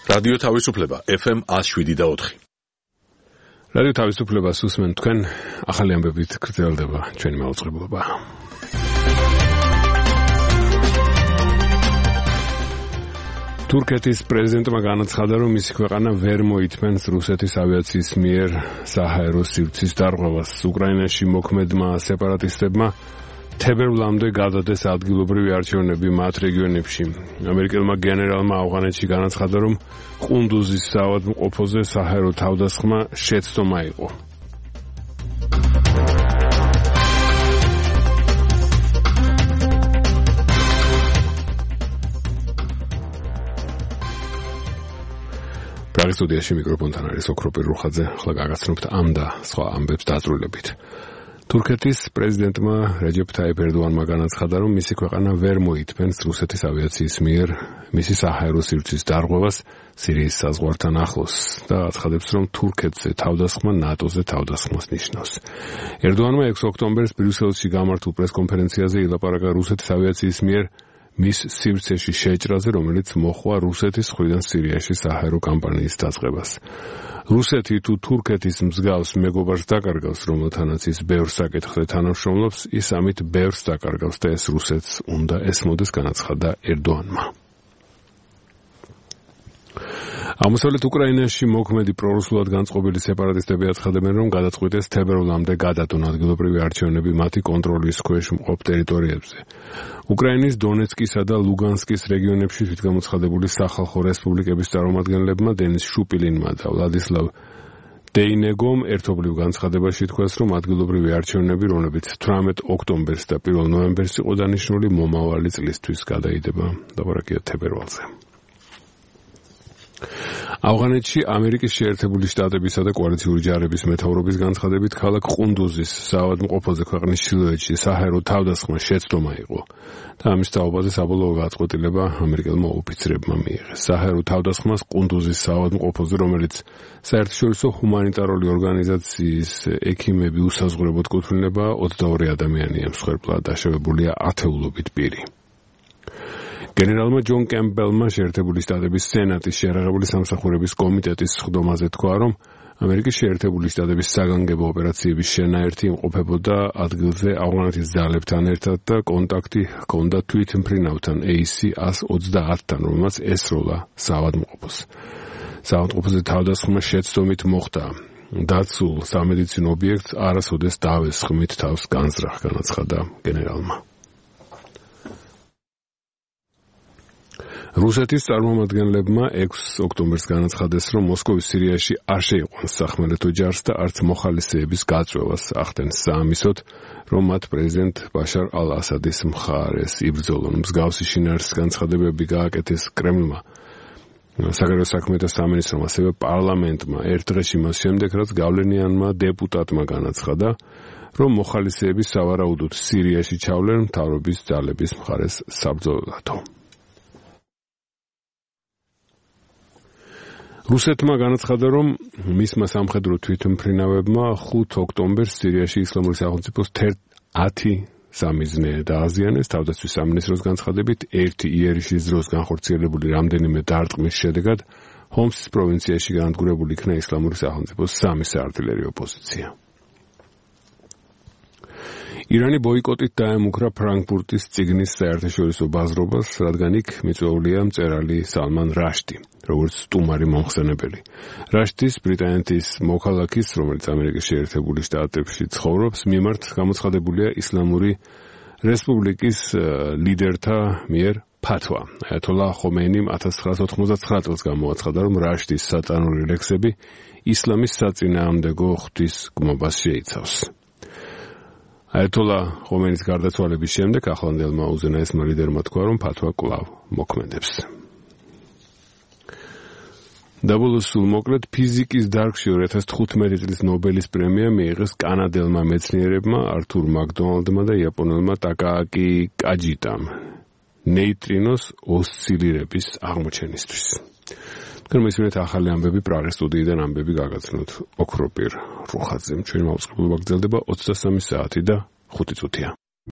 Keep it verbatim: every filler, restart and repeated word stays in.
რადიო თავისუფლება ეფ ემ one oh seven და four. რადიო თავისუფლებას უსმენ თქვენ, ახალი ამბებით გრძელდება ჩვენი მაუწყებლობა. თურქეთის პრეზიდენტმა განაცხადა, რომ მისი ქვეყანა ვერ მოითმენს რუსეთის ავიაციის მიერ საჰაერო სივრცის დარღვევას. უკრაინაში მოქმედმა სეპარატისტებმა თებერვლამდე გადადეს ადგილობრივი არჩევნები მათ რეგიონებში. ამერიკელმა გენერალმა ავღანეთში განაცხადა, რომ ყუნდუზის საავადმყოფოზე საჰაერო თავდასხმა შეცდომა იყო. პრაღის სტუდიაში მიკროფონთან არის ოქროპირ რუხაძე. ახლა გაგაცნობთ ამ და სხვა ამბებს დაწვრილებით. თურქეთის პრეზიდენტმა რეჯეფ თაიფ ერდოანმა განაცხადა, რომ მისი ქვეყანა ვერ მოითმენს რუსეთის ავიაციის მიერ მისი საჰაერო სივრცის დარღვევას სირიის საზღვართან ახლოს და აცხადებს, რომ თურქეთზე თავდასხმა ნატოზე თავდასხმას ნიშნავს. ერდოანმა ექვსი ოქტომბერს ბრიუსელში გამართულ პრესკონფერენციაზე ილაპარაკა რუსეთის ავიაციის მიერ მის სივრცეში შეჭრაზე, რომელიც მოჰყვა რუსეთის მხრიდან სირიაში საჰაერო კამპანიის დაწყებას. რუსეთი თუ თურქეთის მსგავს მეგობარს დაკარგავს, რომელთანაც ის ბევრ საკითხზე თანამშრომლობს, ის ამით ბევრს დაკარგავს და ეს რუსეთს უნდა ესმოდეს, განაცხადა ერდოანმა. აღმოსავლეთ უკრაინაში მოქმედი პრორუსულად განწყობილი სეპარატისტები აცხადებენ, რომ გადაწყვიტეს თებერვლამდე გადადონ ადგილობრივი არჩევნები მათი კონტროლის ქვეშ მყოფ ტერიტორიებზე. უკრაინის დონეცკისა და ლუგანსკის რეგიონებში თვითგამოცხადებული სახალხო რესპუბლიკების წარმომადგენლებმა დენის შუპილინმა და ვლადისლავ დეინეგომ ერთობლივ განცხადებაში თქვას, რომ ადგილობრივი არჩევნები, რომლებიც თვრამეტ ოქტომბერს და პირველ ნოემბერს იყო დანიშნული, მომავალი წლისთვის გადაიდება. ლაპარაკია თებერვალზე. ავღანეთში ამერიკის შეერთებული შტატებისა და კოალიციური ჯარების მეთაურობის განცხადებით ქალაქ ყუნდუზის საავადმყოფოზე ქვეყნის ჩრდილოეთში საჰაერო თავდასხმა შეცდომა იყო და ამის თაობაზე საბოლოო გაწყვეტილება ამერიკელმა ოფიცრებმა მიიღეს. საჰაერო თავდასხმას ყუნდუზის საავადმყოფოზე, რომელიც საერთაშორისო ჰუმანიტარული ორგანიზაციის ექიმები უსაზღვრებოდ კუთვნილება, ოცდაორი ადამიანია მსხვერპლად დაშავებულია ათეულობით პირი. გენერალმა ჯონ კემპბელმა შეერთებული შტატების სენატის შეერაღებული სამსახურების კომიტეტის სხდომაზე თქვა, რომ ამერიკის შეერთებული შტატების საგანგებო ოპერაციების შენაერთი იმყოფებოდა ადგილზე ავღანეთის ძალებთან ერთად და კონტაქტი ჰქონდა თვითმფრინავთან ეი სი one twenty-თან, რომელმაც ესროლა საავადმყოფოს. საავადმყოფოზე თავდასხმა შეცდომით მოხდა. დაცულ სამედიცინო ობიექტს არასოდეს დავესხმით თავს განზრახ, განაცხადა გენერალმა. რუსეთის წარმომადგენლებმა ექვსი ოქტომბერს განაცხადეს, რომ მოსკოვის სირიაში არ შეიყვანს სახმელეთო ჯარს და არც მოხალისეების გაწვევას ახდენს საამისოდ, რომ მათ პრეზიდენტ ბაშარ ალ-ასადის მხარეს იბრძოლონ. მსგავსი შინაარსის განცხადებები გააკეთეს კრემლმა, საგარეო საქმეთა სამინისტრომ, ასევე პარლამენტმა ერთ დღეში მას შემდეგ, რაც გავლენიანმა დეპუტატმა განაცხადა, რომ მოხალისეები სავარაუდოდ სირიაში ჩავლენ მთავრობის ძალების მხარეს საბრძოლველადო. რუსეთმა განაცხადა, რომ მისმა სამხედრო თვითმფრინავებმა ხუთი ოქტომბერს სირიაში ისლამური სახელმწიფოს ათი სამიზნე დააზიანეს. თავდაცვის სამინისტროს განცხადებით, ერთი იერიშის დროს განხორციელებული რამდენიმე დარტყმის შედეგად ჰომსის პროვინციაში განადგურებული იქნა ისლამური სახელმწიფოს სამი საარტილერიო პოზიცია. ირანი ბოიკოტით დაემუქრა ფრანკფურტის წიგნის საერთაშორისო ბაზრობას, რადგან იქ მიწვეულია მწერალი სალმან რაშდი, როგორც სტუმარი მომხსენებელი. რაშდის ბრიტანეთის მოქალაქის, რომელიც ამერიკის შეერთებული შტატებში ცხოვრობს, მიმართ გამოცხადებულია ისლამური რესპუბლიკის ლიდერთა მიერ ფათვა. აიათოლა ხომეინიმ ათას ცხრაასი ოთხმოცდათცხრა წელს გამოაცხადა, რომ რაშდის სატანური ლექსები ისლამის საწინააღმდეგო ღვთის გმობას შეიცავს. აიათოლა ხომეინის გარდაცვალების შემდეგ ახლანდელმა უზენაესმა ლიდერმა თქვა, რომ ფათვა კვლავ მოქმედებს. დაბოლოს სულ მოკლედ ფიზიკის დარგში ორი ათას თხუთმეტი წლის ნობელის პრემია მიიღეს კანადელმა მეცნიერებმა ართურ მაკდონალდმა და იაპონელმა ტაკააკი კაჯიტამ ნეიტრინოს ოსცილირების აღმოჩენისთვის. თქვენ მისმენთ ახალი ამბები პრაღის სტუდიიდან, ამბები გაგაცნოთ ოქროპირ რუხაძემ. ჩვენი მაუწყებლობა გრძელდება ოცდასამი საათი და ხუთი წუთია.